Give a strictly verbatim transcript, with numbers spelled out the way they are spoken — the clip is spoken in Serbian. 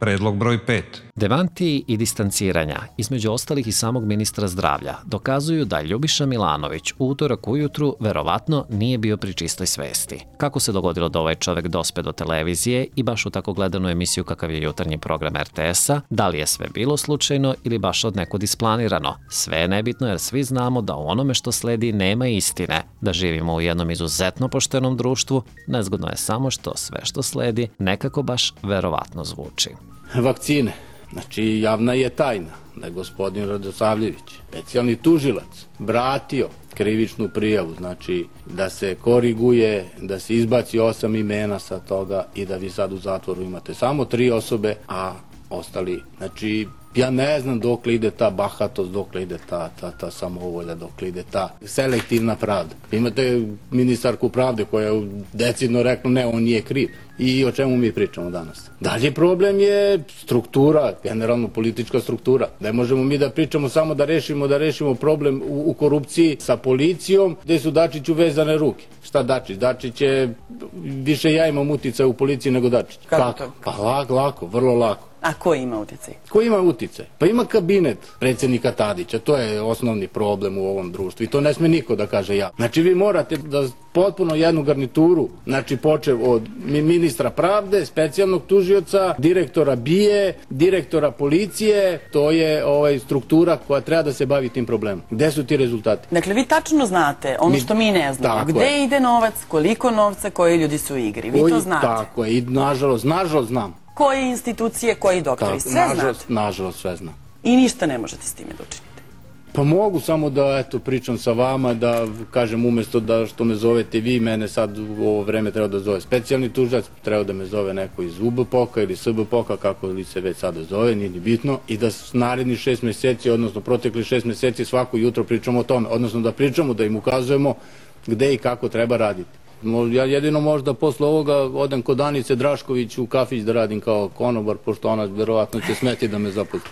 Predlog broj pet. Demantiji i distanciranja, između ostalih i samog ministra zdravlja, dokazuju da Ljubiša Milanović u utorak ujutru verovatno nije bio pri čistoj svesti. Kako se dogodilo da ovaj čovek dospe do televizije i baš u tako gledanu emisiju kakav je jutarnji program er te esa, da li je sve bilo slučajno ili baš od nekud isplanirano? Sve je nebitno jer svi znamo da u onome što sledi nema istine, da živimo u jednom izuzetno poštenom društvu, nezgodno je samo što sve što sledi nekako baš verovatno zvuči. Vakcine. Znači, javna je tajna da je gospodin Radosavljević, specijalni tužilac, vratio krivičnu prijavu, znači da se koriguje, da se izbaci osam imena sa toga i da vi sad u zatvoru imate samo tri osobe, a ostali, znači, ja ne znam dokle ide ta bahatost, dokle ide ta, ta, ta samovolja, dokle ide ta selektivna pravda. Imate ministarku pravde koja je decidno rekla ne, on nije kriv. I o čemu mi pričamo danas? Dalje problem je struktura, generalno politička struktura. Ne možemo mi da pričamo samo da rešimo, da rešimo problem u, u korupciji sa policijom, gde su Dačiću vezane ruke. Šta Dačić? Dačić je, više ja imam uticaj u policiji nego Dačić. Kako to? Pa lako, lako, vrlo lako. A ko ima uticaj? Ko ima uticaj? Pa ima kabinet predsjednika Tadića, to je osnovni problem u ovom društvu i to ne sme niko da kaže ja. Znači vi morate da potpuno jednu garnituru, znači počev od ministra pravde, specijalnog tužioca, direktora B I E, direktora policije, to je ovaj, struktura koja treba da se bavi tim problemom. Gde su ti rezultati? Dakle, vi tačno znate ono što mi ne znamo. Gde ide novac, koliko novca, koji ljudi su u igri. Vi to znate. Tako je, i nažalost, nažalost znam. Koje institucije, koji doktori, sve znate. Nažalost, sve znam. I ništa ne možete s time da učinite. Pa mogu samo da, eto, pričam sa vama, da kažem umjesto da što me zovete vi, mene sad u ovo vreme treba da zove specijalni tužilac, treba da me zove neko iz U B P O K-a ili S B P O K-a, kako li se već sada zove, nije ni bitno, i da naredni šest meseci, odnosno protekli šest meseci svako jutro pričamo o tome, odnosno da pričamo, da im ukazujemo gde i kako treba raditi. Ja jedino možda posle ovoga odem kod Danice Drašković u kafić da radim kao konobar, pošto ona verovatno će smeti da me zaposli.